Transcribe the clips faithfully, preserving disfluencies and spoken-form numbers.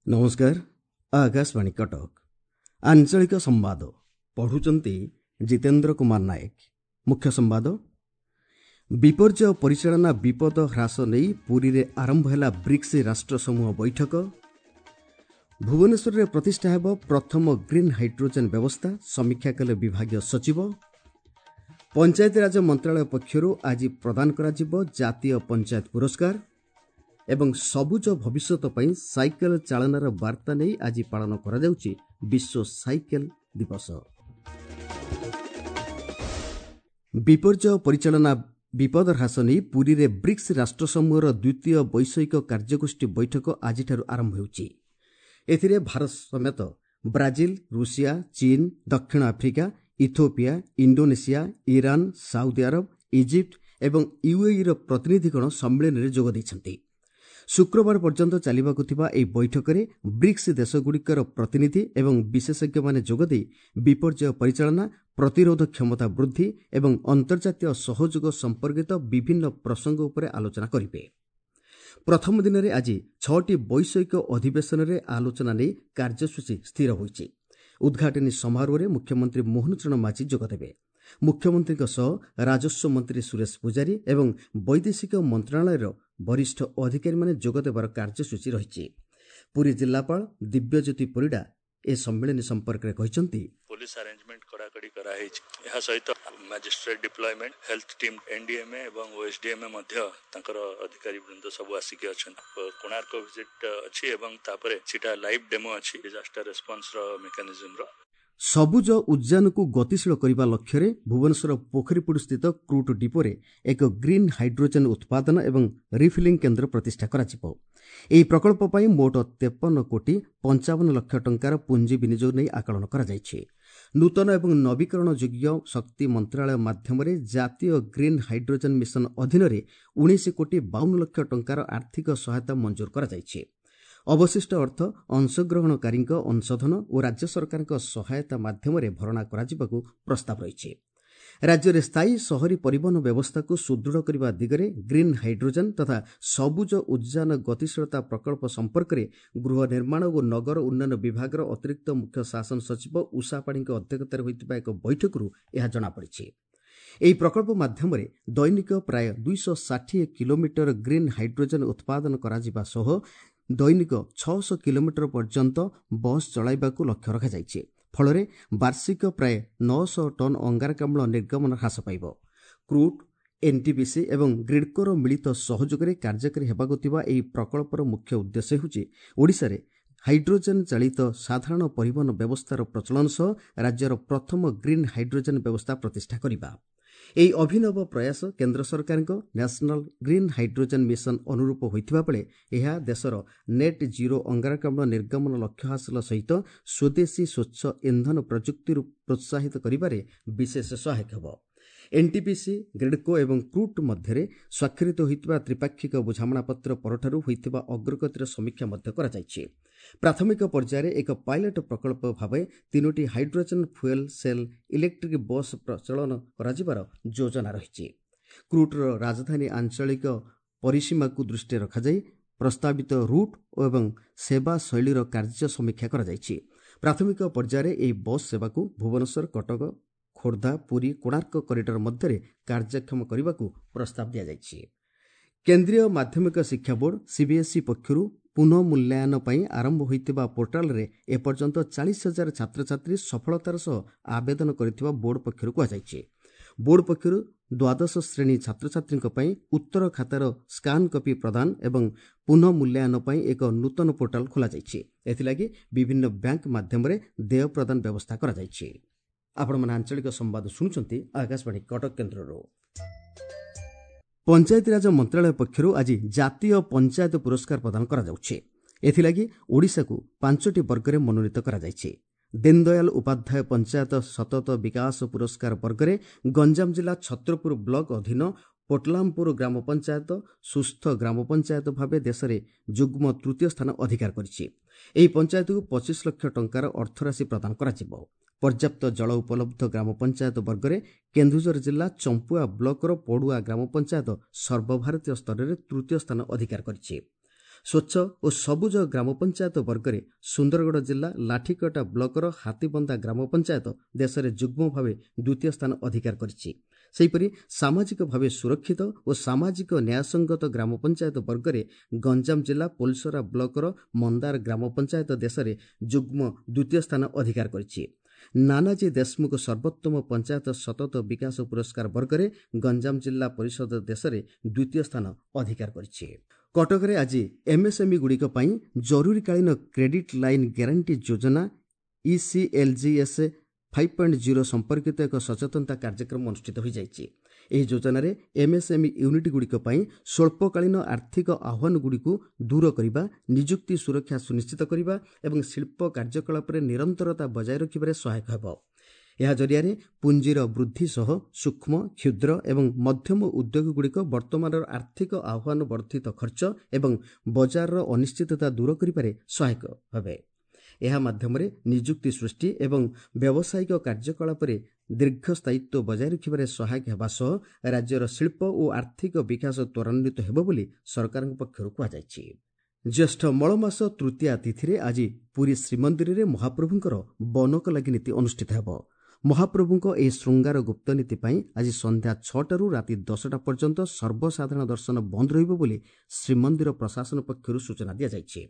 ନମସ୍କାର, ଆକାଶବାଣୀ କଟକ। ଆଞ୍ଚଳିକ ସମ୍ବାଦ ପଢ଼ୁଛନ୍ତି ଜିତେନ୍ଦ୍ର କୁମାର ନାୟକ। ମୁଖ୍ୟ ସମ୍ବାଦ। ବିପର୍ଯ୍ୟୟ ପରିଚାଳନା ବିପଦ ହ୍ରାସ ନେଇ ପୁରୀରେ ଆରମ୍ଭ ହେଲା ବ୍ରିକ୍ସ ରାଷ୍ଟ୍ରସମୂହ ବୈଠକ। ଭୁବନେଶ୍ୱରରେ ପ୍ରତିଷ୍ଠା ହେବ ପ୍ରଥମ ଗ୍ରୀନ୍ ହାଇଡ୍ରୋଜେନ୍ ବ୍ୟବସ୍ଥା, ସମୀକ୍ଷା କଲେ ବିଭାଗୀୟ ସଚିବ। ପଞ୍ଚାୟତିରାଜ ମନ୍ତ୍ରଣାଳୟ ପକ୍ଷରୁ ଆଜି ପ୍ରଦାନ କରାଯିବ ଜାତୀୟ ପଞ୍ଚାୟତ ପୁରସ୍କାର। ଏବଂ ସବୁଜ ଭବିଷ୍ୟତ ପାଇଁ ସାଇକେଲ ଚାଳନାର ବାର୍ତ୍ତା ନେଇ ଆଜି ପାଳନ କରାଯାଉଛି ବିଶ୍ୱ ସାଇକେଲ ଦିବସ। ବିପର୍ଯ୍ୟୟ ପରିଚାଳନା ବିପଦ ହ୍ରାସ ନେଇ ପୁରୀରେ ବ୍ରିକ୍ସ ରାଷ୍ଟ୍ରସମୂହର ଦ୍ୱିତୀୟ ବୈଷୟିକ କାର୍ଯ୍ୟଗୋଷ୍ଠୀ ବୈଠକ ଆଜିଠାରୁ ଆରମ୍ଭ ହେଉଛି। ଏଥିରେ ଭାରତ ସମେତ ବ୍ରାଜିଲ, ରୁଷିଆ, ଚୀନ, ଦକ୍ଷିଣ Africa, Ethiopia, Indonesia, Iran, Saudi Arab, Egypt ଏବଂ ୟୁଏଇର ପ୍ରତିନିଧିଗଣ ସମ୍ମିଳନୀରେ ଯୋଗ ଦେଇଛନ୍ତି। ଶୁକ୍ରବାର ପର୍ଯ୍ୟନ୍ତ ଚାଲିବାକୁ ଥିବା ଏହି ବୈଠକରେ ବ୍ରିକ୍ସ ଦେଶଗୁଡ଼ିକର ପ୍ରତିନିଧି ଏବଂ ବିଶେଷଜ୍ଞମାନେ ଯୋଗଦେଇ ବିପର୍ଯ୍ୟୟ ପରିଚାଳନା, ପ୍ରତିରୋଧ କ୍ଷମତା ବୃଦ୍ଧି ଏବଂ ଅନ୍ତର୍ଜାତୀୟ ସହଯୋଗ ସମ୍ପର୍କିତ ବିଭିନ୍ନ ପ୍ରସଙ୍ଗ ଉପରେ ଆଲୋଚନା କରିବେ। ପ୍ରଥମ ଦିନରେ ଆଜି ଛଅଟି ବୈଷୟିକ ଅଧିବେଶନରେ ଆଲୋଚନା ନେଇ କାର୍ଯ୍ୟସୂଚୀ ସ୍ଥିର ହୋଇଛି। ଉଦ୍ଘାଟନୀ ସମାରୋହରେ ମୁଖ୍ୟମନ୍ତ୍ରୀ ମୋହନ ଚରଣ ମାଝୀ ଯୋଗଦେବେ। ମୁଖ୍ୟମନ୍ତ୍ରୀଙ୍କ ସହ ରାଜସ୍ୱ ମନ୍ତ୍ରୀ ସୁରେଶ ପୂଜାରୀ ଏବଂ ବୈଦେଶିକ ମନ୍ତ୍ରଣାଳୟର ବରିଷ୍ଠ ଅଧିକାରୀମାନେ ଯୋଗଦେବାର କାର୍ଯ୍ୟସୂଚୀ ରହିଛି। ପୁରୀ ଜିଲ୍ଲାପାଳ ଦିବ୍ୟଜ୍ୟୋତି ପରିଡ଼ା ଏ ସମ୍ମିଳନୀ ସମ୍ପର୍କରେ କହିଛନ୍ତି, ପୋଲିସ ଆରେଞ୍ଜମେଣ୍ଟ କଡ଼ାକଡ଼ି କରାହେଇଛି। ଏହା ସହିତ magistrate deployment, health team, N D M A ଏବଂ ଓଏସଡିଏମଏ ମଧ୍ୟ ତାଙ୍କର ଅଧିକାରୀ ବୃନ୍ଦ ସବୁ ଆସିକି ଅଛନ୍ତି। କୋଣାର୍କ ଭିଜିଟ୍ ଅଛି ଏବଂ ତାପରେ ସେଟା ଲାଇଭ୍ ଡେମୋ ଅଛି ଡିଜାଷ୍ଟର ରେସ୍ପନ୍ସର ମେକାନିଜମର। ସବୁଜ ଉଦ୍ଯାନକୁ ଗତିଶୀଳ କରିବା ଲକ୍ଷ୍ୟରେ ଭୁବନେଶ୍ୱର ପୋଖରୀପୁଟ ସ୍ଥିତ କ୍ରୁଟ୍ ଡିପୋରେ ଏକ ଗ୍ରୀନ୍ ହାଇଡ୍ରୋଜେନ୍ ଉତ୍ପାଦନ ଏବଂ ରିଫିଲିଂ କେନ୍ଦ୍ର ପ୍ରତିଷ୍ଠା କରାଯିବ। ଏହି ପ୍ରକଳ୍ପ ପାଇଁ ମୋଟ ତେପନ କୋଟି ପଞ୍ଚାବନ ଲକ୍ଷ ଟଙ୍କାର ପୁଞ୍ଜି ବିନିଯୋଗ ନେଇ ଆକଳନ କରାଯାଇଛି। ନୂତନ ଏବଂ ନବୀକରଣ ଯୋଗ୍ୟ ଶକ୍ତି ମନ୍ତ୍ରଣାଳୟ ମାଧ୍ୟମରେ ଜାତୀୟ ଗ୍ରୀନ୍ ହାଇଡ୍ରୋଜେନ୍ ମିଶନ ଅଧୀନରେ ଉଣେଇଶ କୋଟି ବାଉନ ଲକ୍ଷ ଟଙ୍କାର ଆର୍ଥିକ ସହାୟତା ମଞ୍ଜୁର କରାଯାଇଛି। ଅବଶିଷ୍ଟ ଅର୍ଥ ଅଂଶଗ୍ରହଣକାରୀଙ୍କ ଅଂଶଧନ ଓ ରାଜ୍ୟ ସରକାରଙ୍କ ସହାୟତା ମାଧ୍ୟମରେ ଭରଣା କରାଯିବାକୁ ପ୍ରସ୍ତାବ ରହିଛି। ରାଜ୍ୟରେ ସ୍ଥାୟୀ ସହରୀ ପରିବହନ ବ୍ୟବସ୍ଥାକୁ ସୁଦୃଢ଼ କରିବା ଦିଗରେ ଗ୍ରୀନ୍ ହାଇଡ୍ରୋଜେନ୍ ତଥା ସବୁଜ ଉଦ୍ଯାନ ଗତିଶୀଳତା ପ୍ରକଳ୍ପ ସମ୍ପର୍କରେ ଗୃହ ନିର୍ମାଣ ଓ ନଗର ଉନ୍ନୟନ ବିଭାଗର ଅତିରିକ୍ତ ମୁଖ୍ୟ ଶାସନ ସଚିବ ଉଷା ପାଢ଼ୀଙ୍କ ଅଧ୍ୟକ୍ଷତାରେ ହୋଇଥିବା ଏକ ବୈଠକରୁ ଏହା ଜଣାପଡ଼ିଛି। ଏହି ପ୍ରକଳ୍ପ ମାଧ୍ୟମରେ ଦୈନିକ ପ୍ରାୟ ଦୁଇଶହ ଷାଠିଏ କିଲୋମିଟର ଗ୍ରୀନ୍ ହାଇଡ୍ରୋଜେନ୍ ଉତ୍ପାଦନ କରାଯିବା ସହ ଦୈନିକ ଛଅଶହ କିଲୋମିଟର ପର୍ଯ୍ୟନ୍ତ ବସ୍ ଚଳାଇବାକୁ ଲକ୍ଷ୍ୟ ରଖାଯାଇଛି। ଫଳରେ ବାର୍ଷିକ ପ୍ରାୟ ନଅଶହ ଟନ୍ ଅଙ୍ଗାରକାମ୍ଳ ନିର୍ଗମନ ହ୍ରାସ ପାଇବ। କ୍ରୁଟ୍, ଏନ୍ଟିପିସି ଏବଂ ଗ୍ରିଡ୍କୋର ମିଳିତ ସହଯୋଗରେ କାର୍ଯ୍ୟକାରୀ ହେବାକୁ ଥିବା ଏହି ପ୍ରକଳ୍ପର ମୁଖ୍ୟ ଉଦ୍ଦେଶ୍ୟ ହେଉଛି ଓଡ଼ିଶାରେ ହାଇଡ୍ରୋଜେନ୍ ଚାଳିତ ସାଧାରଣ ପରିବହନ ବ୍ୟବସ୍ଥାର ପ୍ରଚଳନ ସହ ରାଜ୍ୟର ପ୍ରଥମ ଗ୍ରୀନ୍ ହାଇଡ୍ରୋଜେନ୍ ବ୍ୟବସ୍ଥା ପ୍ରତିଷ୍ଠା କରିବା। ଏହି ଅଭିନବ ପ୍ରୟାସ କେନ୍ଦ୍ର ସରକାରଙ୍କ ନ୍ୟାସନାଲ୍ ଗ୍ରୀନ୍ ହାଇଡ୍ରୋଜେନ୍ ମିଶନ ଅନୁରୂପ ହୋଇଥିବା ବେଳେ ଏହା ଦେଶର ନେଟ୍ ଜିରୋ ଅଙ୍ଗାରକାମ୍ଳ ନିର୍ଗମନ ଲକ୍ଷ୍ୟ ହାସଲ ସହିତ ସ୍ୱଦେଶୀ ସ୍ୱଚ୍ଛ ଇନ୍ଧନ ପ୍ରଯୁକ୍ତିରୁ ପ୍ରୋତ୍ସାହିତ କରିବାରେ ବିଶେଷ ସହାୟକ ହେବ। ଏନ୍ଟିପିସି, ଗ୍ରିଡ୍କୋ ଏବଂ କ୍ରୁଟ୍ ମଧ୍ୟରେ ସ୍ୱାକ୍ଷରିତ ହୋଇଥିବା ତ୍ରିପାକ୍ଷିକ ବୁଝାମଣାପତ୍ର ପରଠାରୁ ହୋଇଥିବା ଅଗ୍ରଗତିର ସମୀକ୍ଷା ମଧ୍ୟ କରାଯାଇଛି। ପ୍ରାଥମିକ ପର୍ଯ୍ୟାୟରେ ଏକ ପାଇଲଟ ପ୍ରକଳ୍ପ ଭାବେ ତିନୋଟି hydrogen fuel cell electric bus ପ୍ରଚଳନ କରାଯିବାର ଯୋଜନା ରହିଛି। କ୍ରୁଟ୍ର ରାଜଧାନୀ ଆଞ୍ଚଳିକ ପରିସୀମାକୁ ଦୃଷ୍ଟିରେ ରଖାଯାଇ ପ୍ରସ୍ତାବିତ ରୁଟ୍ ଏବଂ ସେବା ଶୈଳୀର କାର୍ଯ୍ୟ ସମୀକ୍ଷା କରାଯାଇଛି। ପ୍ରାଥମିକ ପର୍ଯ୍ୟାୟରେ ଏହି ବସ୍ ସେବାକୁ ଭୁବନେଶ୍ୱର, କଟକ, ଖୋର୍ଦ୍ଧା, ପୁରୀ, କୋଣାର୍କ କରିଡର ମଧ୍ୟରେ କାର୍ଯ୍ୟକ୍ଷମ କରିବାକୁ ପ୍ରସ୍ତାବ ଦିଆଯାଇଛି। କେନ୍ଦ୍ରୀୟ ମାଧ୍ୟମିକ ଶିକ୍ଷା ବୋର୍ଡ ସିବିଏସ୍ଇ ପକ୍ଷରୁ ପୁନଃ ମୂଲ୍ୟାୟନ ପାଇଁ ଆରମ୍ଭ ହୋଇଥିବା ପୋର୍ଟାଲରେ ଏପର୍ଯ୍ୟନ୍ତ ଚାଳିଶ ହଜାର ଛାତ୍ରଛାତ୍ରୀ ସଫଳତାର ସହ ଆବେଦନ କରିଥିବା ବୋର୍ଡ ପକ୍ଷରୁ କୁହାଯାଇଛି। ବୋର୍ଡ ପକ୍ଷରୁ ଦ୍ୱାଦଶ ଶ୍ରେଣୀ ଛାତ୍ରଛାତ୍ରୀଙ୍କ ପାଇଁ ଉତ୍ତର ଖାତାର ସ୍କାନ୍ କପି ପ୍ରଦାନ ଏବଂ ପୁନଃ ମୂଲ୍ୟାୟନ ପାଇଁ ଏକ ନୂତନ ପୋର୍ଟାଲ ଖୋଲାଯାଇଛି। ଏଥିଲାଗି ବିଭିନ୍ନ ବ୍ୟାଙ୍କ ମାଧ୍ୟମରେ ଦେୟ ପ୍ରଦାନ ବ୍ୟବସ୍ଥା କରାଯାଇଛି। ଆପଣମାନେ ଆଞ୍ଚଳିକ ସମ୍ବାଦ ଶୁଣୁଛନ୍ତି ଆକାଶବାଣୀ କଟକ କେନ୍ଦ୍ରରୁ। ପଞ୍ଚାୟତିରାଜ ମନ୍ତ୍ରଣାଳୟ ପକ୍ଷରୁ ଆଜି ଜାତୀୟ ପଞ୍ଚାୟତ ପୁରସ୍କାର ପ୍ରଦାନ କରାଯାଉଛି। ଏଥିଲାଗି ଓଡ଼ିଶାକୁ ପାଞ୍ଚଟି ବର୍ଗରେ ମନୋନୀତ କରାଯାଇଛି। ଦୀନଦୟାଲ ଉପାଧ୍ୟାୟ ପଞ୍ଚାୟତ ସତତ ବିକାଶ ପୁରସ୍କାର ବର୍ଗରେ ଗଞ୍ଜାମ ଜିଲ୍ଲା ଛତ୍ରପୁର ବ୍ଲକ ଅଧୀନ ପୋଟଲାମପୁର ଗ୍ରାମ ପଞ୍ଚାୟତ ସୁସ୍ଥ ଗ୍ରାମ ପଞ୍ଚାୟତ ଭାବେ ଦେଶରେ ଯୁଗ୍ମ ତୃତୀୟ ସ୍ଥାନ ଅଧିକାର କରିଛି। ଏହି ପଞ୍ଚାୟତକୁ ପଚିଶ ଲକ୍ଷ ଟଙ୍କାର ଅର୍ଥରାଶି ପ୍ରଦାନ କରାଯିବ। ପର୍ଯ୍ୟାପ୍ତ ଜଳ ଉପଲବ୍ଧ ଗ୍ରାମ ପଞ୍ଚାୟତ ବର୍ଗରେ କେନ୍ଦୁଝର ଜିଲ୍ଲା ଚମ୍ପୁଆ ବ୍ଲକର ପଡୁଆ ଗ୍ରାମ ପଞ୍ଚାୟତ ସର୍ବଭାରତୀୟ ସ୍ତରରେ ତୃତୀୟ ସ୍ଥାନ ଅଧିକାର କରିଛି। ସ୍ୱଚ୍ଛ ଓ ସବୁଜ ଗ୍ରାମ ପଞ୍ଚାୟତ ବର୍ଗରେ ସୁନ୍ଦରଗଡ଼ ଜିଲ୍ଲା ଲାଠିକଟା ବ୍ଲକର ହାତୀବନ୍ଧା ଗ୍ରାମ ପଞ୍ଚାୟତ ଦେଶରେ ଯୁଗ୍ମ ଭାବେ ଦ୍ୱିତୀୟ ସ୍ଥାନ ଅଧିକାର କରିଛି। ସେହିପରି ସାମାଜିକ ଭାବେ ସୁରକ୍ଷିତ ଓ ସାମାଜିକ ନ୍ୟାୟସଙ୍ଗତ ଗ୍ରାମ ପଞ୍ଚାୟତ ବର୍ଗରେ ଗଞ୍ଜାମ ଜିଲ୍ଲା ପୋଲସରା ବ୍ଲକର ମନ୍ଦାର ଗ୍ରାମ ପଞ୍ଚାୟତ ଦେଶରେ ଯୁଗ୍ମ ଦ୍ୱିତୀୟ ସ୍ଥାନ ଅଧିକାର କରିଛି। ନାନାଜୀ ଦେଶମୁଖ ସର୍ବୋତ୍ତମ ପଞ୍ଚାୟତ ସତତ ବିକାଶ ପୁରସ୍କାର ବର୍ଗରେ ଗଞ୍ଜାମ ଜିଲ୍ଲା ପରିଷଦ ଦେଶରେ ଦ୍ୱିତୀୟ ସ୍ଥାନ ଅଧିକାର କରିଛି। କଟକରେ ଆଜି ଏମ୍ଏସ୍ଏମ୍ଇଗୁଡ଼ିକ ପାଇଁ ଜରୁରୀକାଳୀନ କ୍ରେଡିଟ୍ ଲାଇନ୍ ଗ୍ୟାରେଣ୍ଟି ଯୋଜନା ଇସିଏଲ୍ଜିଏସ୍ ଫାଇଭ୍ ପଏଣ୍ଟ ଜିରୋ ସମ୍ପର୍କିତ ଏକ ସଚେତନତା କାର୍ଯ୍ୟକ୍ରମ ଅନୁଷ୍ଠିତ ହୋଇଯାଇଛି। ଏହି ଯୋଜନାରେ ଏମ୍ଏସ୍ଏମ୍ଇ ୟୁନିଟ୍ଗୁଡ଼ିକ ପାଇଁ ସ୍ୱଳ୍ପକାଳୀନ ଆର୍ଥିକ ଆହ୍ୱାନଗୁଡ଼ିକୁ ଦୂର କରିବା, ନିଯୁକ୍ତି ସୁରକ୍ଷା ସୁନିଶ୍ଚିତ କରିବା ଏବଂ ଶିଳ୍ପ କାର୍ଯ୍ୟକଳାପରେ ନିରନ୍ତରତା ବଜାୟ ରଖିବାରେ ସହାୟକ ହେବ। ଏହା ଜରିଆରେ ପୁଞ୍ଜିର ବୃଦ୍ଧି ସହ ସୂକ୍ଷ୍ମ, କ୍ଷୁଦ୍ର ଏବଂ ମଧ୍ୟମ ଉଦ୍ୟୋଗଗୁଡ଼ିକ ବର୍ତ୍ତମାନର ଆର୍ଥିକ ଆହ୍ୱାନ, ବର୍ଦ୍ଧିତ ଖର୍ଚ୍ଚ ଏବଂ ବଜାରର ଅନିଶ୍ଚିତତା ଦୂର କରିବାରେ ସହାୟକ ହେବେ। ଏହା ମାଧ୍ୟମରେ ନିଯୁକ୍ତି ସୃଷ୍ଟି ଏବଂ ବ୍ୟବସାୟିକ କାର୍ଯ୍ୟକଳାପରେ ଦୀର୍ଘସ୍ଥାୟିତ୍ୱ ବଜାୟ ରଖିବାରେ ସହାୟକ ହେବା ସହ ରାଜ୍ୟର ଶିଳ୍ପ ଓ ଆର୍ଥିକ ବିକାଶ ତ୍ୱରାନ୍ୱିତ ହେବ ବୋଲି ସରକାରଙ୍କ ପକ୍ଷରୁ କୁହାଯାଇଛି। ଜ୍ୟେଷ୍ଠ ମଳମାସ ତୃତୀୟା ତିଥିରେ ଆଜି ପୁରୀ ଶ୍ରୀମନ୍ଦିରରେ ମହାପ୍ରଭୁଙ୍କର ବନକ ଲାଗି ନୀତି ଅନୁଷ୍ଠିତ ହେବ। ମହାପ୍ରଭୁଙ୍କ ଏହି ଶୃଙ୍ଗାର ଗୁପ୍ତ ନୀତି ପାଇଁ ଆଜି ସନ୍ଧ୍ୟା ଛଅଟାରୁ ରାତି ଦଶଟା ପର୍ଯ୍ୟନ୍ତ ସର୍ବସାଧାରଣ ଦର୍ଶନ ବନ୍ଦ ରହିବ ବୋଲି ଶ୍ରୀମନ୍ଦିର ପ୍ରଶାସନ ପକ୍ଷରୁ ସୂଚନା ଦିଆଯାଇଛି।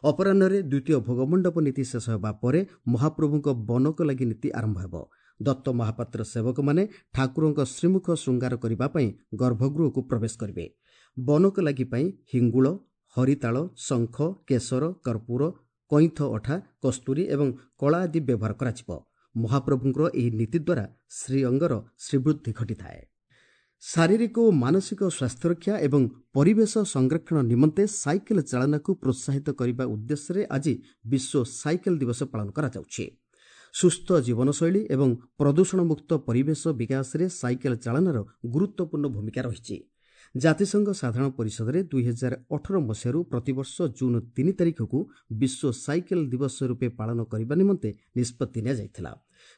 ଅପରାହ୍ନରେ ଦ୍ୱିତୀୟ ଭୋଗମଣ୍ଡପ ନୀତି ଶେଷ ହେବା ପରେ ମହାପ୍ରଭୁଙ୍କ ବନକ ଲାଗି ନୀତି ଆରମ୍ଭ ହେବ। ଦତ୍ତ ମହାପାତ୍ର ସେବକମାନେ ଠାକୁରଙ୍କ ଶ୍ରୀମୁଖ ଶୃଙ୍ଗାର କରିବା ପାଇଁ ଗର୍ଭଗୃହକୁ ପ୍ରବେଶ କରିବେ। ବନକ ଲାଗି ପାଇଁ ହିଙ୍ଗୁଳ, ହରିତାଳ, ଶଙ୍ଖ, କେଶର, କର୍ପୂର, କଇଁଥ ଅଠା, କସ୍ତୁରୀ ଏବଂ କଳା ଆଦି ବ୍ୟବହାର କରାଯିବ। ମହାପ୍ରଭୁଙ୍କର ଏହି ନୀତି ଦ୍ୱାରା ଶ୍ରୀଅଙ୍ଗର ଶ୍ରୀବୃଦ୍ଧି ଘଟିଥାଏ। ଶାରୀରିକ ଓ ମାନସିକ ସ୍ୱାସ୍ଥ୍ୟରକ୍ଷା ଏବଂ ପରିବେଶ ସଂରକ୍ଷଣ ନିମନ୍ତେ ସାଇକେଲ ଚାଳନାକୁ ପ୍ରୋତ୍ସାହିତ କରିବା ଉଦ୍ଦେଶ୍ୟରେ ଆଜି ବିଶ୍ୱ ସାଇକେଲ ଦିବସ ପାଳନ କରାଯାଉଛି। ସୁସ୍ଥ ଜୀବନଶୈଳୀ ଏବଂ ପ୍ରଦୂଷଣମୁକ୍ତ ପରିବେଶ ବିକାଶରେ ସାଇକେଲ ଚାଳନାର ଗୁରୁତ୍ୱପୂର୍ଣ୍ଣ ଭୂମିକା ରହିଛି। ଜାତିସଂଘ ସାଧାରଣ ପରିଷଦରେ ଦୁଇ ହଜାର ଅଠର ମସିହାରୁ ପ୍ରତିବର୍ଷ ଜୁନ୍ ତିନି ତାରିଖକୁ ବିଶ୍ୱ ସାଇକେଲ ଦିବସ ରୂପେ ପାଳନ କରିବା ନିମନ୍ତେ ନିଷ୍ପତ୍ତି ନିଆଯାଇଥିଲା।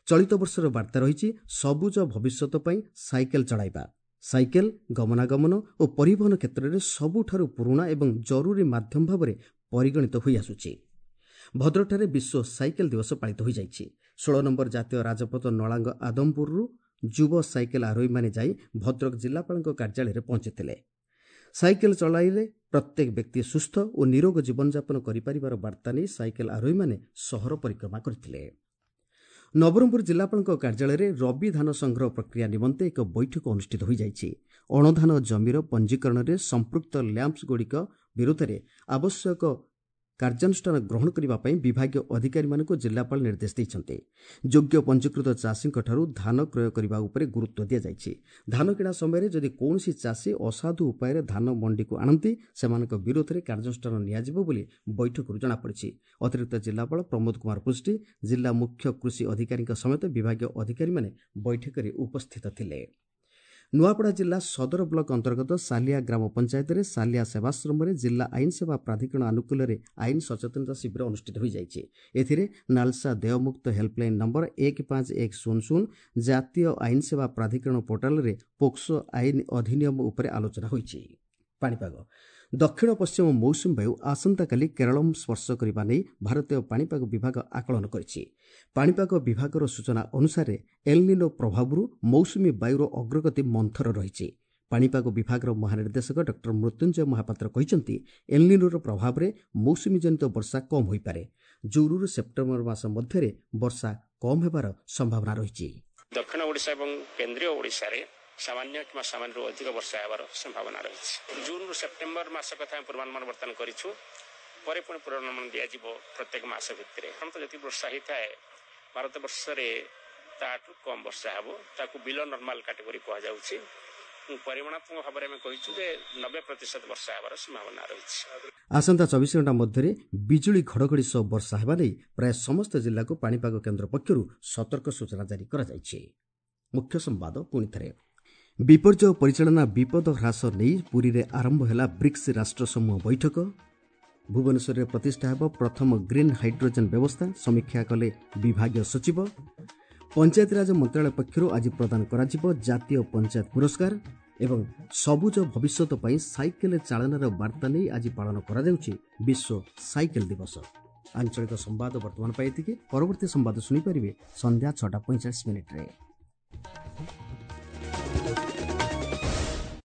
ଚଳିତ ବର୍ଷର ବାର୍ତ୍ତା ରହିଛି ସବୁଜ ଭବିଷ୍ୟତ ପାଇଁ ସାଇକେଲ ଚଳାଇବା। ସାଇକେଲ ଗମନାଗମନ ଓ ପରିବହନ କ୍ଷେତ୍ରରେ ସବୁଠାରୁ ପୁରୁଣା ଏବଂ ଜରୁରୀ ମାଧ୍ୟମ ଭାବରେ ପରିଗଣିତ ହୋଇଆସୁଛି। ଭଦ୍ରକଠାରେ ବିଶ୍ୱ ସାଇକେଲ ଦିବସ ପାଳିତ ହୋଇଯାଇଛି। ଷୋହଳ ନମ୍ବର ଜାତୀୟ ରାଜପଥ ନଳାଙ୍ଗ ଆଦମପୁରରୁ ଯୁବ ସାଇକେଲ ଆରୋହୀମାନେ ଯାଇ ଭଦ୍ରକ ଜିଲ୍ଲାପାଳଙ୍କ କାର୍ଯ୍ୟାଳୟରେ ପହଞ୍ଚିଥିଲେ। ସାଇକେଲ ଚଳାଇଲେ ପ୍ରତ୍ୟେକ ବ୍ୟକ୍ତି ସୁସ୍ଥ ଓ ନିରୋଗ ଜୀବନଯାପନ କରିପାରିବାର ବାର୍ତ୍ତା ନେଇ ସାଇକେଲ ଆରୋହୀମାନେ ସହର ପରିକ୍ରମା କରିଥିଲେ। ନବରଙ୍ଗପୁର ଜିଲ୍ଲାପାଳଙ୍କ କାର୍ଯ୍ୟାଳୟରେ ରବି ଧାନ ସଂଗ୍ରହ ପ୍ରକ୍ରିୟା ନିମନ୍ତେ ଏକ ବୈଠକ ଅନୁଷ୍ଠିତ ହୋଇଯାଇଛି। ଅଣଧାନ ଜମିର ପଞ୍ଜୀକରଣରେ ସମ୍ପୃକ୍ତ ଲ୍ୟାମ୍ପସଗୁଡ଼ିକ ବିରୁଦ୍ଧରେ ଆବଶ୍ୟକ କାର୍ଯ୍ୟାନୁଷ୍ଠାନ ଗ୍ରହଣ କରିବା ପାଇଁ ବିଭାଗୀୟ ଅଧିକାରୀମାନଙ୍କୁ ଜିଲ୍ଲାପାଳ ନିର୍ଦ୍ଦେଶ ଦେଇଛନ୍ତି। ଯୋଗ୍ୟ ପଞ୍ଜୀକୃତ ଚାଷୀଙ୍କଠାରୁ ଧାନ କ୍ରୟ କରିବା ଉପରେ ଗୁରୁତ୍ୱ ଦିଆଯାଇଛି। ଧାନ କିଣା ସମୟରେ ଯଦି କୌଣସି ଚାଷୀ ଅସାଧୁ ଉପାୟରେ ଧାନ ମଣ୍ଡିକୁ ଆଣନ୍ତି, ସେମାନଙ୍କ ବିରୋଧରେ କାର୍ଯ୍ୟାନୁଷ୍ଠାନ ନିଆଯିବ ବୋଲି ବୈଠକରୁ ଜଣାପଡ଼ିଛି। ଅତିରିକ୍ତ ଜିଲ୍ଲାପାଳ ପ୍ରମୋଦ କୁମାର ପୃଷ୍ଟି, ଜିଲ୍ଲା ମୁଖ୍ୟ କୃଷି ଅଧିକାରୀଙ୍କ ସମେତ ବିଭାଗୀୟ ଅଧିକାରୀମାନେ ବୈଠକରେ ଉପସ୍ଥିତ ଥିଲେ। ନୂଆପଡ଼ା ଜିଲ୍ଲା ସଦର ବ୍ଲକ ଅନ୍ତର୍ଗତ ସାଲିଆ ଗ୍ରାମ ପଞ୍ଚାୟତରେ ସାଲିଆ ସେବାଶ୍ରମରେ ଜିଲ୍ଲା ଆଇନ ସେବା ପ୍ରାଧିକରଣ ଆନୁକୂଲ୍ୟରେ ଆଇନ ସଚେତନତା ଶିବିର ଅନୁଷ୍ଠିତ ହୋଇଯାଇଛି। ଏଥିରେ ନାଲସା ଦେୟମୁକ୍ତ ହେଲ୍ପଲାଇନ୍ ନମ୍ବର ଏକ ପାଞ୍ଚ ଏକ ଶୂନ ଶୂନ, ଜାତୀୟ ଆଇନ ସେବା ପ୍ରାଧିକରଣ ପୋର୍ଟାଲରେ ପୋକ୍ସୋ ଆଇନ ଅଧିନିୟମ ଉପରେ ଆଲୋଚନା ହୋଇଛି। ପାଣିପାଗ ଦକ୍ଷିଣ ପଶ୍ଚିମ ମୌସୁମୀ ବାୟୁ ଆସନ୍ତାକାଲି କେରଳ ସ୍ପର୍ଶ କରିବା ନେଇ ଭାରତୀୟ ପାଣିପାଗ ବିଭାଗ ଆକଳନ କରିଛି। ପାଣିପାଗ ବିଭାଗର ସୂଚନା ଅନୁସାରେ ଏଲ୍ନିନୋ ପ୍ରଭାବରୁ ମୌସୁମୀ ବାୟୁର ଅଗ୍ରଗତି ମନ୍ଥର ରହିଛି। ପାଣିପାଗ ବିଭାଗର ମହାନିର୍ଦ୍ଦେଶକ ଡକ୍ଟର ମୃତ୍ୟୁଞ୍ଜୟ ମହାପାତ୍ର କହିଛନ୍ତି, ଏଲ୍ନିନୋର ପ୍ରଭାବରେ ମୌସୁମୀଜନିତ ବର୍ଷା କମ୍ ହୋଇପାରେ। ଜୁନ୍ରୁ ସେପ୍ଟେମ୍ବର ମାସ ମଧ୍ୟରେ ବର୍ଷା କମ୍ ହେବାର ସମ୍ଭାବନା ରହିଛି। ଦକ୍ଷିଣ ଓଡ଼ିଶା ଏବଂ କେନ୍ଦ୍ରୀୟ ଓଡ଼ିଶାରେ ସାମାନ୍ୟ କିମ୍ବା ସାମାନ୍ୟରୁ ଅଧିକ ବର୍ଷା ହେବାର ସମ୍ଭାବନା ରହିଛି। ଜୁନ୍ରୁ ସେପ୍ଟେମ୍ବର ମାସ କଥା ଆମେ ପୂର୍ବାନୁମାନ ବର୍ତ୍ତମାନ କରିଛୁ, ପରେ ପୁଣି ପୂର୍ବାନୁମାନ ଦିଆଯିବ ପ୍ରତ୍ୟେକ ମାସ ଭିତରେ। ସାଧାରଣତଃ ଯେତିକି ବର୍ଷା ହେଇଥାଏ ଭାରତ ବର୍ଷରେ ତାଠୁ କମ୍ ବର୍ଷା ହେବ, ତାକୁ ବିଲୋ ନର୍ମାଲ କାଟେଗୋରୀ କୁହାଯାଉଛି। ପରିମାଣାତ୍ମକ ଭାବରେ ଆମେ କହିଛୁ ଯେ ନବେ ପ୍ରତିଶତ ବର୍ଷା ହେବାର ସମ୍ଭାବନା ରହିଛି। ଆସନ୍ତା ଚବିଶ ଘଣ୍ଟା ମଧ୍ୟରେ ବିଜୁଳି ଘଡ଼ଘଡ଼ି ସହ ବର୍ଷା ହେବା ନେଇ ପ୍ରାୟ ସମସ୍ତ ଜିଲ୍ଲାକୁ ପାଣିପାଗ କେନ୍ଦ୍ର ପକ୍ଷରୁ ସତର୍କ ସୂଚନା ଜାରି କରାଯାଇଛି। ମୁଖ୍ୟ ସମ୍ବାଦ ପୁଣିଥରେ। ବିପର୍ଯ୍ୟୟ ପରିଚାଳନା ବିପଦ ହ୍ରାସ ନେଇ ପୁରୀରେ ଆରମ୍ଭ ହେଲା ବ୍ରିକ୍ସ ରାଷ୍ଟ୍ରସମୂହ ବୈଠକ। ଭୁବନେଶ୍ୱରରେ ପ୍ରତିଷ୍ଠା ହେବ ପ୍ରଥମ ଗ୍ରୀନ୍ ହାଇଡ୍ରୋଜେନ୍ ବ୍ୟବସ୍ଥା, ସମୀକ୍ଷା କଲେ ବିଭାଗୀୟ ସଚିବ। ପଞ୍ଚାୟତିରାଜ ମନ୍ତ୍ରଣାଳୟ ପକ୍ଷରୁ ଆଜି ପ୍ରଦାନ କରାଯିବ ଜାତୀୟ ପଞ୍ଚାୟତ ପୁରସ୍କାର। ଏବଂ ସବୁଜ ଭବିଷ୍ୟତ ପାଇଁ ସାଇକେଲ ଚାଳନାର ବାର୍ତ୍ତା ନେଇ ଆଜି ପାଳନ କରାଯାଉଛି ବିଶ୍ୱ ସାଇକେଲ ଦିବସ। ଆଞ୍ଚଳିକ ସମ୍ବାଦ ବର୍ତ୍ତମାନ ପାଇଁ ଏତିକି। ପରବର୍ତ୍ତୀ ସମ୍ବାଦ ଶୁଣିପାରିବେ ସନ୍ଧ୍ୟା ଛଅଟା ପଇଁଚାଳିଶ ମିନିଟ୍ରେ।